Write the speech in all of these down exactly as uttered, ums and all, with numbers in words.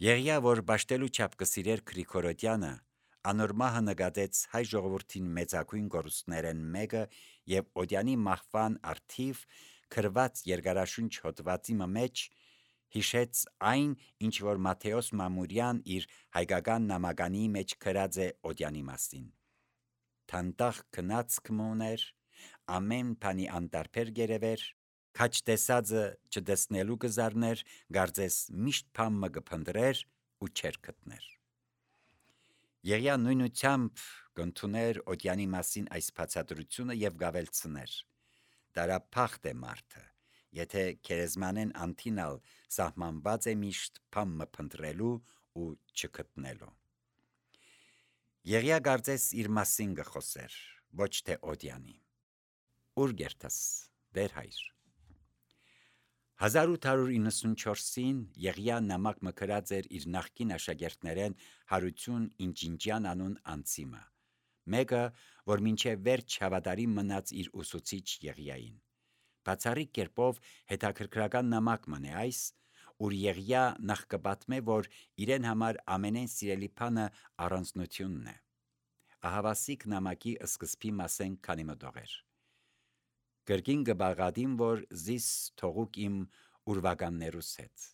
Եղիա, որ բաշտելու չափ կսիրեր Գրիգորոդյանը, անորմահը նկատեց հայ ժողովրդին մեծագույն գորուստներեն մեկը եւ Օդյանի մահվան արդիվ քրված երկարաշունչ հոդվածի մեջ հիշեց այն, ինչ որ Մատթեոս Մամուրյան իր հայկական նամականի մեջ գրած է Օդյանի մասին. «Թանդախ քնածք մոներ, ամեն բանի անտարբեր գերևեր, քաչ տեսածը չտեսնելու կզարներ, գարձես միշտ փամը կփնտրեր ու չեր գտներ»։ Եղիա նույնությամբ կընդուներ Օդյանի մասին այս բացատրությունը եւ գավելցներ. «Դարափախտ է մարդը, եթե քերեզմանեն անթինալ սահմանված է միշտ փամը փնտրելու ու չգտնելու»։ Եղիա կարծես իր մասին կխոսեր, ոչ թե Օդյանի. «Ուր գերտաս, դեր հայր»։ հազար ութ հարյուր իննսունչորսին Եղիա նամակ մը գրած էր իր նախկին աշակերտներեն Հարություն Ինջինջյան անուն անձիմը, մեկը, որ մինչև վերջ հավատարիմ մնաց իր ուսուցիչ Եղիային։ Բացառիկ կերպով հետաքրքրական նամակ մն է այս, ուր Եղիա նախ կպատմե, որ իրեն համար ամենեն սիրելի բանը առանձնությունն է։ Ահավասիկ նամակի սկզբի մասեն քանի մտողեր. «Կրկին կբաղադիմ, որ զիս թողուկ իմ ուրվականներուս հետ։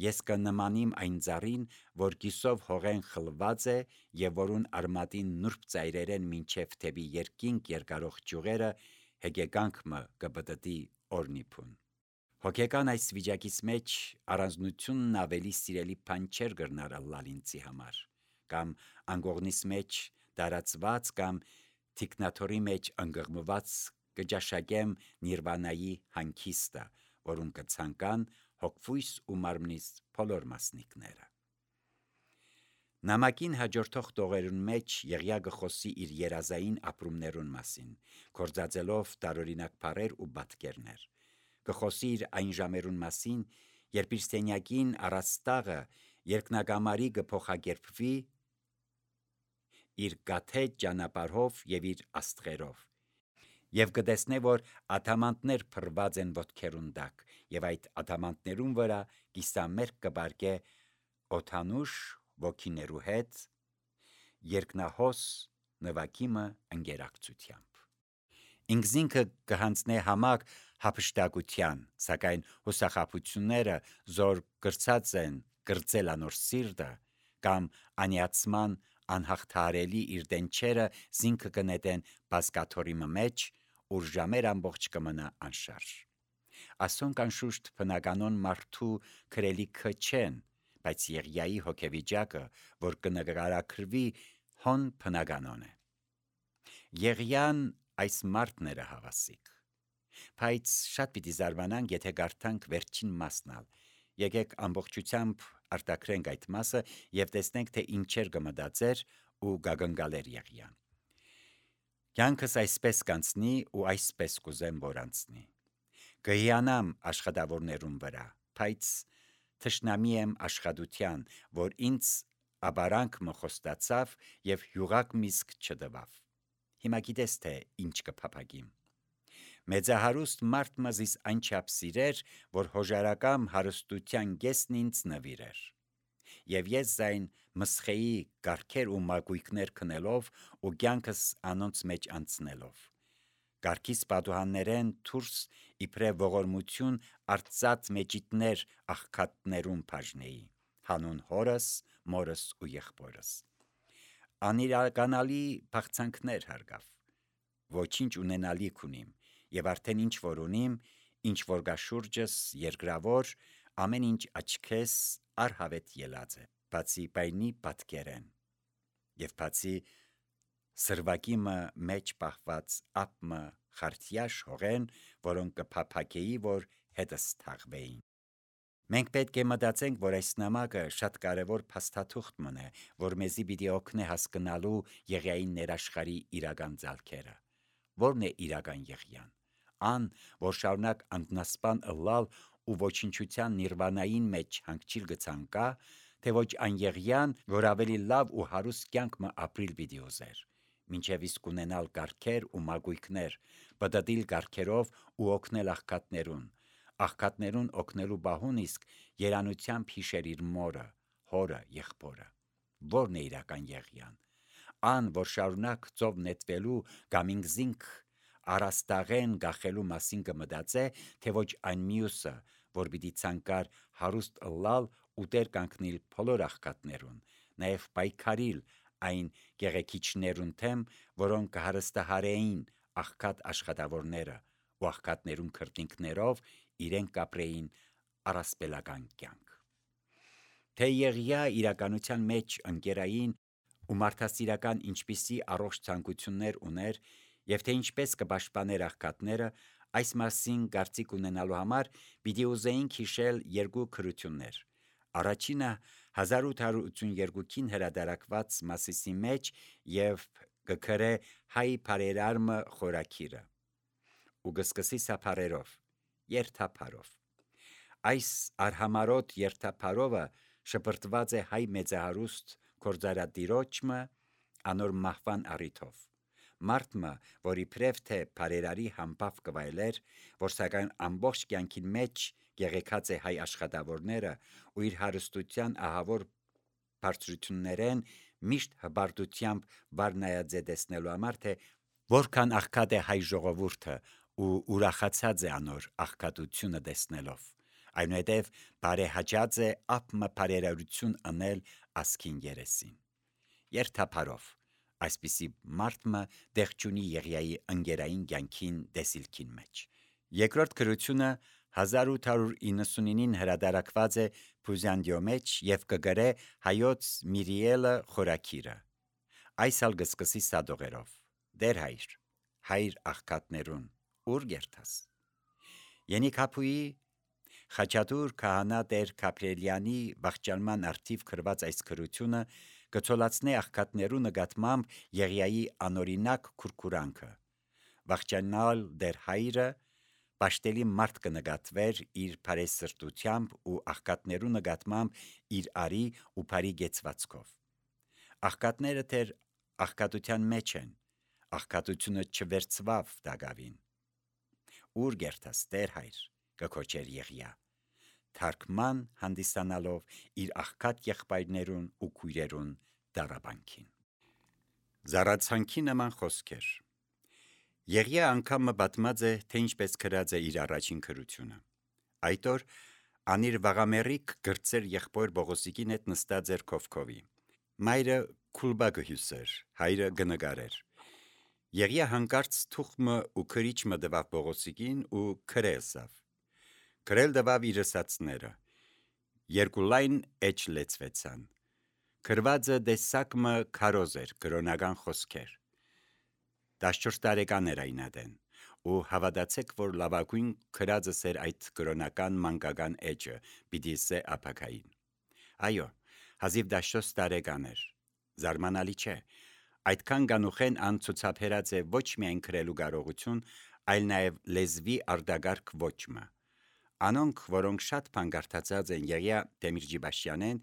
Ես կնմանիմ այն ծառին, որ կիսով հողեն խլված է եւ որուն արմատին նուրբ ծայրերեն մինչև թեպի երկինք երկարող ճյուղերը հեկեկանք մը կպտտի օրնիփուն»։ Հոգեկան այս վիճակից մեջ առանձնությունն ավելի սիրելի բան չէր կրնար ըլլալ ինձի համար, կամ անկողնիս մեջ տարածված կամ թիկնաթորի մեջ ընկղմված կճաշակեմ նիրվանայի հանգիստը, որուն կցանկան հոգվույս ու մարմնիս բոլոր մասնիկները։ Նամակին հաջորդող տողերուն մեջ Եղիա կխոսի իր երազային ապրումներուն մասին, գործածելով տարօրինակ բառեր ու պատկերներ։ Կխոսի իր այն ժամերուն մասին, երբ իր սենյակին առած տաղը երկնակամարի կփոխակերպվի իր գաթետ ճանապարհով եւ իր աստղերով, եւ կտեսնե, որ ադամանդներ փռված են ոտքերուն տակ, եւ այդ ադամանդներուն վրա կիսամերկ կպարգե օդանուշ ոգիներու հետ երկնահոս նվագիմը ընկերակցությամբ։ Ինքզինքը կհանձնե համակ հափշտակության, սակայն հուսախաբությունները զոր կրծած են կրծել անոր սիրտը, կամ անիացման անհաղթահարելի իր դենչերը զինքը կնետեն բազկաթորի մեջ, ուր ժամեր ամբողջ կմնա անշարժ։ Ասոնք անշուշտ բնականոն մարդու գրելիքը չեն, բայց Եղիայի հոգեվիճակը, որ կնկարագրվի, հոն բնականոն է։ Եղիան այս մարդն էր հավասիկ։ Բայց շատ պիտի զարմանանք, եթե կարդանք վերջին մասնալ։ Եկեք ամբողջությամբ արտաքրենք այդ մասը եւ տեսնենք, թե ինչեր կմտածեր ու գագնգալեր Եղիան։ Կյանքս այսպես կանցնի ու այսպես կուզեմ, որ անցնի։ Կհիանամ աշխատավորներուն վրա, բայց թշնամի եմ աշխատության, որ ինձ աբարանք մը խոստացավ եւ յուղակ միսկ չտվավ։ Հիմա գիտես, թե ինչ կփափագիմ։ Մեծահարուստ մարդ մզիս այնչափ սիրեր, որ հոժարակամ հարստության գեսն ինձ նվիրեր։ Եվ ես զայն մսխեի կարգեր ու մագույկներ քնելով ու կյանքս անոնց մեջ անցնելով։ Կարգիս պատուհաններեն դուրս իբրև ողորմություն արծած մեջիտներ աղքատներուն բաժնեի, հանուն հորս, մորս ու եղբորս։ Անիրականալի բաղցանքներ հարգավ։ Ոչինչ ունենալիք ունիմ, եւ արդեն ինչ որ ունիմ, ինչ որ կա շուրջս երկրավոր, ամեն ինչ աչքես առհավետ ելած է, բացի բայնի պատկերեն, եւ բացի սրվակիմը մեջ պահված ապմը խարտյաշ հողեն, որոնք կփափագեի, որ հետս թաղվեին։ Մենք պետք է մտածենք, որ այս նամակը շատ կարևոր փաստաթուղթ մնե, որ մեզի պիտի օգնե հասկանալու Եղիայի ներաշխարի իրական ձալքերը։ Որն է իրական Եղիան։ Ան, որ շարունակ անտնասպան ըլլալ ու ոչնչության նիրվանային մեջ հանգչիլ գցանկա, թե ոչ այն Եղիան, որ ավելի լավ ու հարուստ կյանք մը ապրիլ պիտի ուզեր, մինչև իսկ ունենալ կարգեր ու մագույկներ, պտտիլ կարգերով ու օգնել աղքատներուն, աղքատներուն օգնելու բահուն իսկ երանությամբ հիշեր իր մորը, հորը, եղբորը։ Որն է իրական Եղիան։ Ան, որ շարունակ ծով նետվելու գամինգզինք առաստաղեն գախելու մասին կմտածե, թե ոչ այն մյուսը, որ պիտի ցանկար հարուստ ըլլալ ու տեր կանգնիլ բոլոր աղքատներուն, նաև պայքարիլ այն գեղեցիչներուն թեմ, որոնք կհարստահարեին աղքատ աշխատավորները ու աղքատներուն քրտինքներով իրեն կապրեին առասպելական կյանք։ Թե Եղիա իրականության մեջ ընկերային ու մարդասիրական ինչպիսի առողջ ցանկություններ ուներ եւ թե ինչպես կպաշտպաներ աղքատները, այս մասին կարծիք ունենալու համար պիտի ուզեինք հիշել երկու քրություններ։ Առաջինը հազար ութ հարյուր ութսունյոթին հրատարակված Մասիսի մեջ եւ կգրե հայ բարերարմը խորակիրը ու կսկսի սափարերով, երթափարով։ Այս արհամարոտ երթափարովը շպրտված է հայ մեծահարուստ գործարատիրոջը անոր մահվան առիթով։ Մարդը, որի պրև թե բարերարի համբավ կվայելեր, որ սակայն ամբողջ կյանքին մեջ գեղեցած է հայ աշխատավորները ու իր հարստության ահավոր բարձրություններեն միշտ հբարտությամբ վարնայած է տեսնելու համար, թե որքան աղքատ է հայ ժողովուրդը ու ուրախացած է անոր աղքատությունը տեսնելով։ Այնուհետև բարեհաճած է ապմը բարերարություն անել ասքին երեսին։ Երթափարով այսպիսի մարդը դեղ չունի Եղիայի ընկերային կյանքին դեսիլքին մեջ։ Երկրորդ քրությունը հազար ութ հարյուր իննսունինին հրատարակված է Փուզանդիո մեջ եւ կգրե հայոց Միրիելը խորակիրը։ Այս ալ կսկսի սադողերով. Դեր հայր, հայր աղքատներուն, ուր գերտաս։ Ենիքապուի Խաչատուր քահանա Տեր Կապրելյանի վախճանման արդիվ գրված այս քրությունը կցոլացնե աղքատներու նկատմամբ Եղիայի անօրինակ քուրքուրանքը։ Վախճանալ Դեր հայրը պաշտելի մարդ կնկատվեր իր բարեսրտությամբ ու աղքատներու նկատմամբ իր արի ու բարի գեցվածքով։ Աղքատները Տեր աղքատության մեջ են, աղքատությունը չվերցվավ դագավին։ Ուր գերտաս Տեր հայր, կքոչեր Եղիա, թարգման հանդիսանալով իր աղքատ եղբայրներուն ու քույրերուն դարաբանքին։ Զառացանքի նման խոսքեր։ Եղիա անգամը պատմած է, թե ինչպես գրած է իր առաջին քրությունը։ Այդ օր անիր վաղամերիկ գրծեր եղբոր Բողոսիկին հետ նստած էր քովքովի։ Մայրը քուլբա գհյուսեր, հայրը գնգարեր։ Եղիա հանկարծ թուխմը ու քրիչմը դվավ Բողոսիկին ու քրեսավ։ Քրել դվավ իր ասածները։ Երկու լայն էջ լեցվեցան։ Քրվածը դեսակմը քարոզ էր, կրոնական խոսքեր։ տասնչորս տարեկան էր այն ադեն, ու հավատացեք, որ լավագույն քրածս էր այդ կրոնական մանկական էջը, պիտի սե ապակային։ Այո, հազիվ տասնչորս տարեկան էր։ Զարմանալի չէ։ Այդքան գանուխեն ան ցուցաբերած է ոչ միայն քրելու կարողություն, այլ նաև լեզվի արտագարկ ոճը։ Անոնք, որոնք շատ բան կարդացած են Եղիա Դեմիրճիբաշյանեն,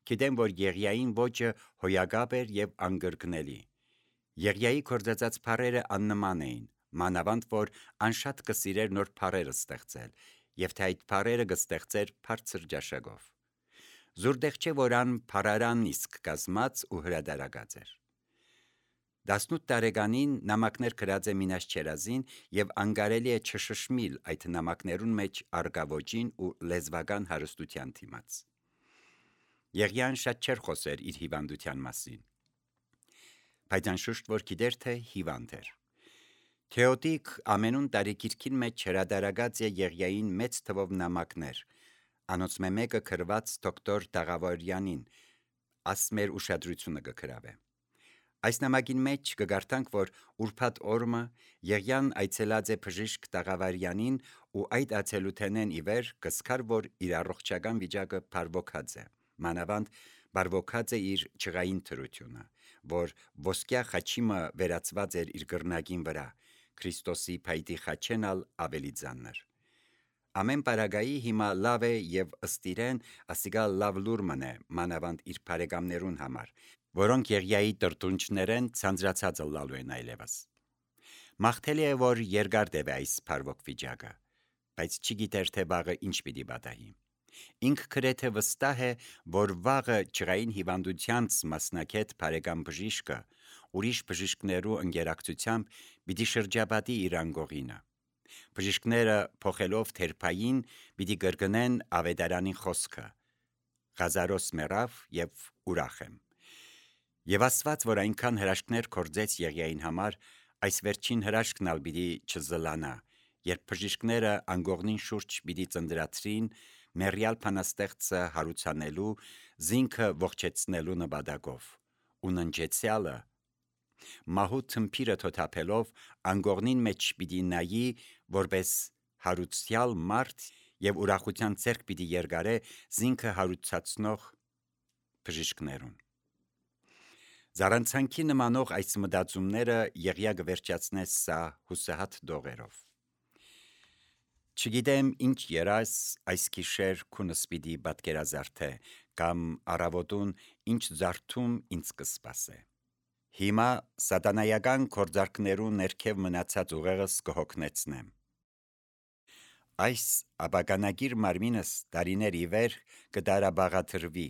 գիտեն, որ Եղիային ոճը հոյակապ էր եւ անգրկնելի։ Եղիայի կործածած բառերը աննման էին, մանավանդ որ ան շատ կսիրեր նոր բառեր ստեղծել, եւ թե այդ բառերը կստեղծեր բարձր ճաշակով։ Զուրդեղ չէ, որ ան բառարան իսկ կազմած ու հրադարակած էր։ տասնութ տարեկանին նամակներ գրած է Մինաս Չերազին եւ անկարելի է չշշմիլ այդ նամակներուն մեջ արգավոճին ու լեզվական հարստության թիմաց։ Եղիան շատ չէր խոսեր իր հիվանդության մասին, բայց անշուշտ որ գիտեր թե հիվանդ էր։ Թեոդիկ ամենուն տարեգիրքին մեջ հրադարակած է Եղիային մեծ թվով նամակներ, անոնցմե մեկը գրված դոկտոր Դաղավարյանին, ասմեր ուշադրությունը կգրավե։ Այս նամակին մեջ կգարտանք, որ ուրբաթ օրը Եղիան այցելած է բժիշկ Դաղավարյանին ու այդ այցելութենեն ի վեր կսկար, որ իր առողջական վիճակը բարվոքած է, մանավանդ բարվոքած է իր ճղային թրությունը, որ ոսկյա խաչիմը վերածված էր իր գրնագին վրա, Քրիստոսի փայտի խաչենալ ավելի ծանր։ Ամեն պարագայի հիմա լավ է եւ ըստ իրեն ասիգա լավ լուր մնե, մանավանդ իր բարեկամներուն համար, որոնք Եղիայի տրտունչներեն ցանցրացած լալու են այլևս։ Մաղթելի է, որ երկար տևե այս բարվոք վիճակը, բայց չգիտեր թե վաղը ինչ պիտի պատահի։ Ինք գրեթե վստահ է, որ վաղը ջրային հիվանդությանց մասնակետ բարեկամ բժիշկը ուրիշ բժիշկներու ընկերակցությամբ պիտի շրջապատի իր անգողինը։ Բժիշկները փոխելով թերփային պիտի կրկնեն ավետարանին խոսքը. «Ղազարոս մեռավ եւ ուրախ եմ»։ Եվ Աստված, որ այնքան հրաշքներ կործեց Եղիային համար, այս վերջին հրաշքն ալ պիտի չզլանա, երբ բժիշկները անգողնին շուրջ պիտի ծնդրացրին մեռյալ բանաստեղծը հարուցանելու, զինքը ողջեցնելու նպատակով, ու ննջեցյալը մահու թմփիրը թոթափելով անգողնին մեջ պիտի նայի, որպես հարուցյալ մարդ եւ ուրախության ձեռք պիտի երգարե զինքը հարուցացնող բժիշկներուն։ Զառանցանքի նմանող այս մտածումները Եղիա կվերջացնե սա հուսահատ դողերով. «Չգիտեմ ինչ երաս այս գիշեր քունս պիտի պատկերազարդե, կամ առավոտուն ինչ զարթում ինձ կսպասե։ Հիմա սատանայական գործարքներու ներքև մնացած ուղեղս կհոգնեցնեմ։ Այս ապականագիր մարմինս տարիներ ի վեր կդարաբաղադրվի,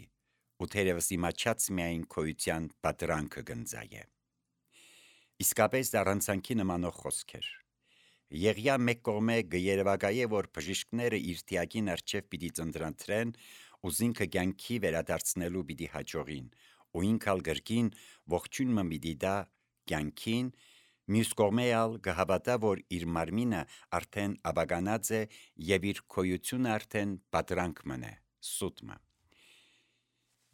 ու թերևս իմաչած միայն քոյության պատրանքը կնձայե»։ Իսկապես առանցանքի նմանող խոսքեր։ Եղիա մեկ կողմե գերեվակայե, որ բժիշկները իր տիակին առջև պիտի ծնդրանտրեն ու զինքը կյանքի վերադարձնելու պիտի հաջողին, ու ինքալ գրքին ողջույնը պիտի դա կյանքին, մյուս կողմե ալ կհավատա, որ իր մարմինը արդեն ապականած է եւ իր քոյությունը արդեն պատրանք մնե, սուտմը։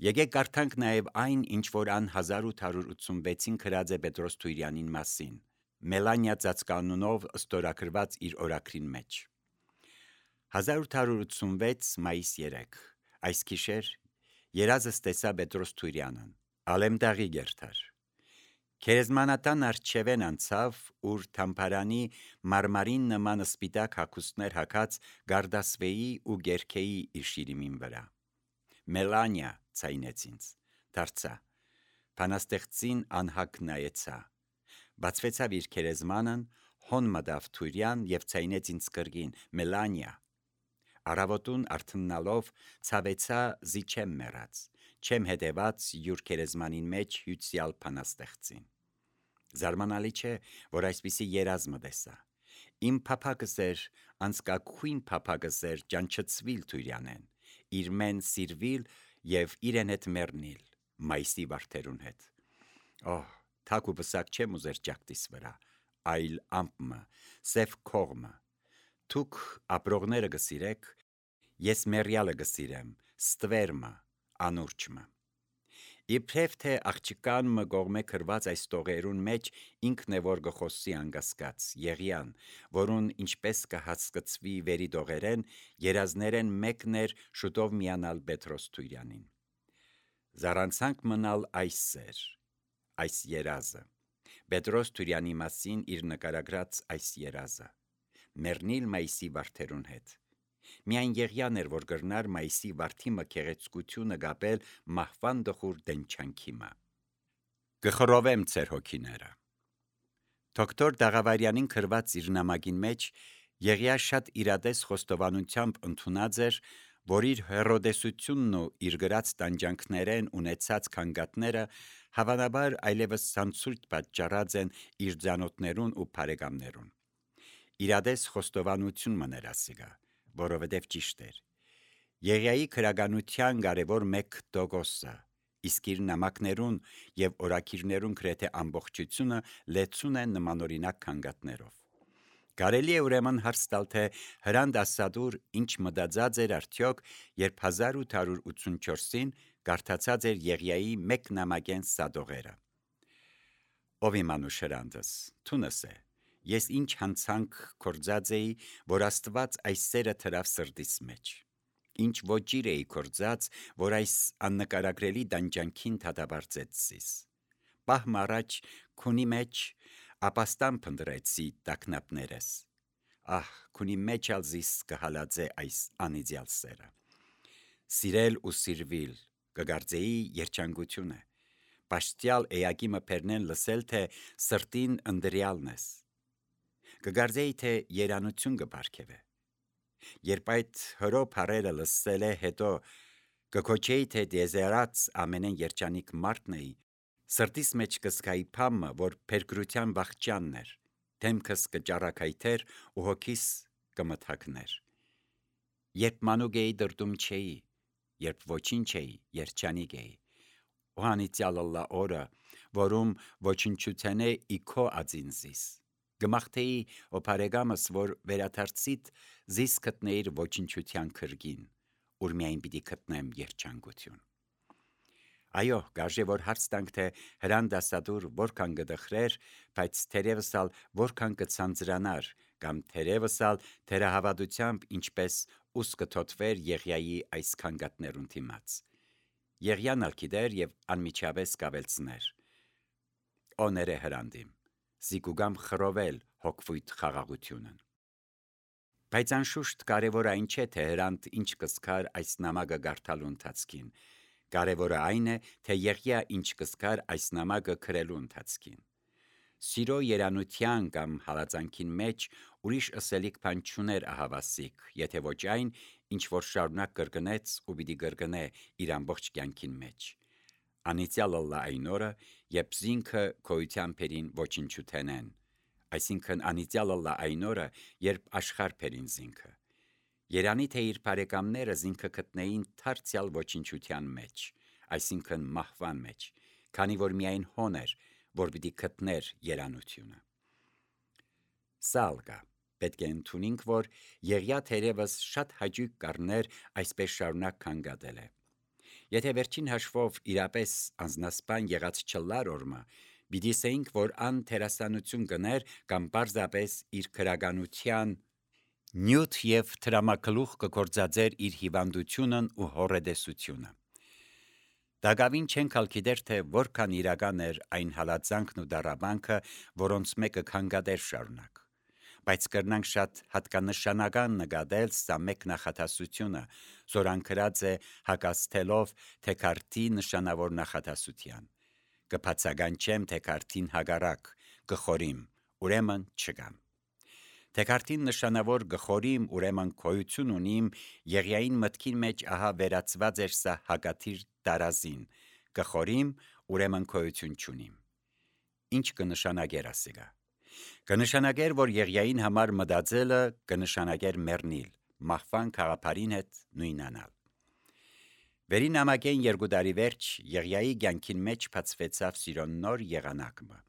Եկեք կարդանք նաև այն, ինչ որ ան հազար ութ հարյուր ութսունվեցին գրած է Պետրոս Թուիրյանին մասին, Մելանիա ծածկանունով ստորագրված իր օրագրին մեջ։ հազար ութ հարյուր ութսունվեց մայիս երեք, այս գիշեր երազս տեսա Պետրոս Թուիրյանն, ալեմտաղի գերթար։ Քերեզմանատան արջևեն անցավ, ուր թամփարանի մարմարին նման սպիտակ հագուստներ հագած գարդասվեի ու գերքեի իր շիրիմին վրա։ Մելանիա ցայնեց ինձ, դարձա, բանաստեղծին անհագ նայեցա, բացվեցավ իր քերեզմանն, հոն մտավ Թուիրյան եւ ցայնեց ինձ կրկին, Մելանիա։ Առավոտուն արթննալով ցավեցա զի չեմ մեռած, չեմ հետևած յուր քերեզմանին մեջ հյուցյալ բանաստեղծին։ Զարմանալի չէ, որ այսպիսի երազ մտեսա։ Իմ փափակս էր, անցկակույն փափակս էր ճանչծվիլ Թուիրյանեն, իր մեն սիրվիլ եւ իրեն հետ մեռնիլ, մայիսի վարդերուն հետ։ Օհ, թակ ու պսակ չեմ ուզեր ջակտիս վրա, այլ ամպմը, սև քողմը։ Թուք ապրողները գսիրեք, ես մեռյալը գսիրեմ, ստվերմը, անուրջմը։ Իբրև թե աղջկան մը կողմե քրված այս տողերուն մեջ ինքն է որ գխոսի անգասկած, Եղիան, որուն ինչպես կհասկացվի վերի տողերեն, երազներեն մեկն էր շուտով միանալ Պետրոս Թուիրյանին։ Զառանցանք մնալ այս սեր, այս երազը, Պետրոս Թուիրյանի մասին իր նկարագրած այս երազը, մեռնիլ մայիսի վարդերուն հետ։ Միայն Եղիան էր, որ գրնար մայիսի վարդիմը քեղեցկությունը գապել մահվան դխուր դենչանքիմը։ Գխրովեմ ձեր հոգիները։ Դոկտոր Դաղավարյանին գրված իր նամակին մեջ Եղիա շատ իրադես խոստովանությամբ ընդունած էր, որ իր հերոդեսությունն ու իր գրած տանջանքներեն ունեցած քանգատները հավանաբար այլևս ցանցույթ պատճառած են իր ձանոթներուն ու բարեկամներուն։ Իրադես խոստովանություն մներ ասիգա, որովհետև ճիշտ էր։ Եղիայի քրագանության կարևոր մեկ տոկոսը, իսկ իր նամակներուն եւ օրակիրներուն գրեթե ամբողջությունը լեցուն են նմանօրինակ քանգատներով։ Կարելի է ուրեմն հարց տալ, թե Հրանտ Ասադուր ինչ մտածած էր արդյոք, երբ հազար ութ հարյուր ութսունչորսին կարդացած էր Եղիայի մեկ նամակեն սադողերը։ Ով իմանուշ Հրանտս, թունս է, ես ինչ հանցանք կործած էի, որ Աստված այս սերը թրավ սրտիս մեջ, ինչ ոճիր էի կործած, որ այս աննկարագրելի դանջանքին դատաբարձեց զիս։ Պահմ առաջ քունի մեջ ապաստան փնտրեցի տակնապներս։ Ահ, քունի մեջ ալ զիս կհալածե այս անիդյալ սերը։ Սիրել ու սիրվիլ կգարձեի երջանկություն է։ Պաշտյալ էակի մփերնեն լսել, թե սրտին ընդրյալն ես։ Կգարձեի, թե երանություն կբարգևե։ Երբ այդ հրո փարերը լսել է հետո կքոչեի թե դեզերած ամենեն երջանիկ մարդն էի, սրտիս մեջ կսկայի փամը, որ փերկրության վախճանն էր, դեմքս կճառակայթեր ու հոգիս կմթակներ։ Երբ մանուկ էի դրդում չէի, երբ ոչինչ էի, երջանիկ էի, ու անիծյալ ըլլա օրը, որում ոչնչութենե իքո ածին զիս, գմախթեի ու բարեկամս, որ վերադարձիտ զիս գտնեիր ոչնչության քրգին, ուր միայն պիտի գտնեմ երջանկություն։ Այո, գարժե որ հարց տանք, թե հրան դասադուր որքան կդխրեր, բայց թերևս ալ որքան կցանցրանար, կամ թերևս ալ թերահավատությամբ ինչպես ուս կթոթվեր Եղիայի այս քանգատներուն դիմաց։ Եղիան ալ գիտեր եւ անմիջապես կավելցներ. Օները հրանդիմ, զիկուգամ խռովել հոգվույթ խաղաղությունն։ Բայց անշուշտ կարևորը այն չէ, թե հրանտ ինչ կսկար այս նամակը գարթալու ընթացքին, կարևորը այն է, թե Եղիա ինչ կսկար այս նամակը գրելու ընթացքին։ Սիրո երանության կամ հալածանքին մեջ ուրիշ ըսելիք բան չուներ ահավասիկ, եթե ոչ այն, ինչ որ շարունակ կրկնեց ու պիտի կրկնե իր ամբողջ կյանքին մեջ։ Անիծյալ ըլլա այն օրը, երբ զինքը քոյության փերին ոչնչութենեն, այսինքն անիծյալ ըլլա այն օրը, երբ աշխարհ փերին զինքը։ Երանի թե իր բարեկամները զինքը գտնեին դարձյալ ոչնչության մեջ, այսինքն մահվան մեջ, քանի որ միայն հոն էր, որ պիտի գտներ երանությունը։ Սալգա պետք է ընդունենք, որ Եղիա թերևս շատ հաճույք կառներ այսպես շարունակ քանգատել է։ Եթե վերջին հաշվով իրապես անznասպան եղած չլար օրմա, պիտի ասեինք, որ ան թերասանություն գներ կամ պարզապես իր քրագանության նյութ եւ տրամակլուխ կգործածեր իր հիվանդությունն ու հորեդեսությունը։ Դագավին չենք ալ գիտեր, թե որքան իրական էր այն հալածանքն ու դառաբանքը, որոնց մեկը քանգատեր շարունակ։ Բայց կրնանք շատ հատկանշանական նկատել սա մեկ նախատասությունը, զորանկրած է հակաստելով թեքարտի նշանավոր նախատասության։ Կբացականչեմ թեքարտին հագարակ, գխորիմ, ուրեմն չգամ։ Թեքարտին նշանավոր գխորիմ, ուրեմն քոյություն ունիմ, Եղիային մտքին մեջ ահա վերածված էր սա հակաթիր տարազին, գխորիմ, ուրեմն քոյություն չունիմ։ Ինչ կնշանագեր ասիգա։ Կնշանագեր, որ Եղիային համար մտածելը կնշանագեր մեռնիլ, մահվան քաղաքարին հետ նույնանալ։ Վերին նամակեն երկու տարի վերջ Եղիայի կյանքին մեջ բացվեցավ սիրո նոր եղանակը։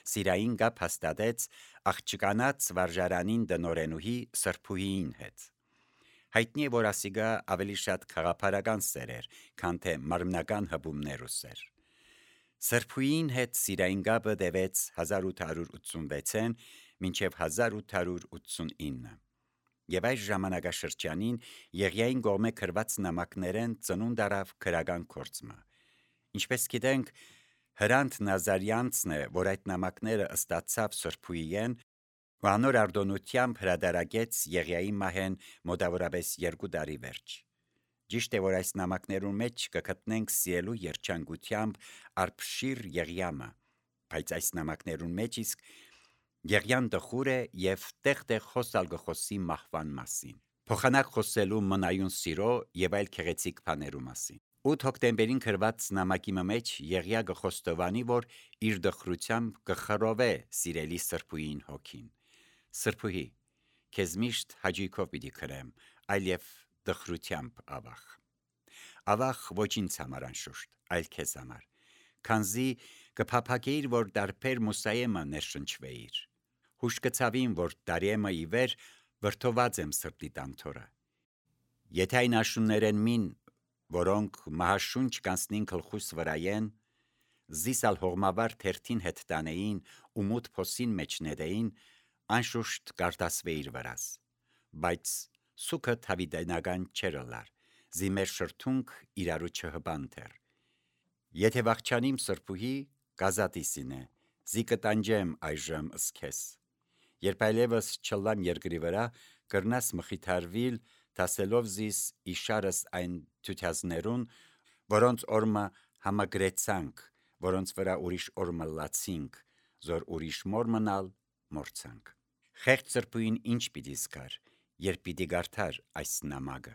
Սիրային գապ հաստատեց աղջկանած վարժարանին դնորենուհի Սրբուհիին հետ։ Հայտնի է, որ ասիգա ավելի շատ քաղաքական սեր էր, քան թե մարմնական հպումներ ու սեր։ Սրբուհին հետ սիրային գապը տևեց հազար ութ հարյուր ութսունվեցին մինչև հազար ութ հարյուր ութսունինը։ Եվ այս ժամանակաշրջանին Եղիային կողմէ գրված նամակներեն ծնունդ առավ քրական գործը։ Ինչպես գիտենք, Հրանտ Նազարյանցն է, որ այդ նամակները ըստացավ Սրբուհիեն ու անոր արդոնությամբ հրադարագեց Եղիայի մահեն մոտավորապես երկու տարի վերջ։ Ճիշտ է, որ այս նամակներուն մեջ կգտնենք սիրելու երջանկությամբ արբշիր Եղիամը, բայց այս նամակներուն մեջ իսկ Եղիան տխուր է եւ տեղ-տեղ խոսալ գխոսի մահվան մասին, փոխանակ խոսելու մնայուն սիրո եւ այլ քեղեցիկ բաներու մասին։ ութ հոկտեմբերին գրված նամակի մեջ Եղիա գխոստովանի, որ իր դխրությամբ կխռովե սիրելի Սրբուհին հոգին։ Սրբուհի, քեզ միշտ հաճույքով պիտի գրեմ, այլև դխրությամբ ավախ։ Ավախ ոչ ինձ համար անշուշտ, այլ քեզ համար, քանզի կփափագեիր, որ դարբեր մուսայեմը ներշնչվեիր։ Հուշ կցավին, որ դարեմը ի վեր վրթոված եմ սրտի տանթորը։ Եթե այն աշուններեն մին, որոնք մահաշունչ կանցնին գլխուս վրայեն, զիսալ հողմավար թերթին հետ տանեին ու մութ փոսին մեջ նետեին, անշուշտ կարտասվեիր վրաս, բայց սուքը թավիդենական չերլար, զիմեր շրթունք իրարու չհբանթեր։ Եթե վախչանիմ Սրբուհի, կազատիսին է, զի կտանջեմ այժմ ըսքես։ Երբ այլևս չլամ երկրի վրա, կրնաս մխիթարվիլ, դասելով զիս իշարս այն թությազներուն, որոնց օրմը համագրեցանք, որոնց վրա ուրիշ օրմը լացինք, զոր ուրիշ մոր մնալ մորցանք։ Խեղճ Սրբուհին ինչ պիտի զգար, երբ պիտի գարթար այս նամակը։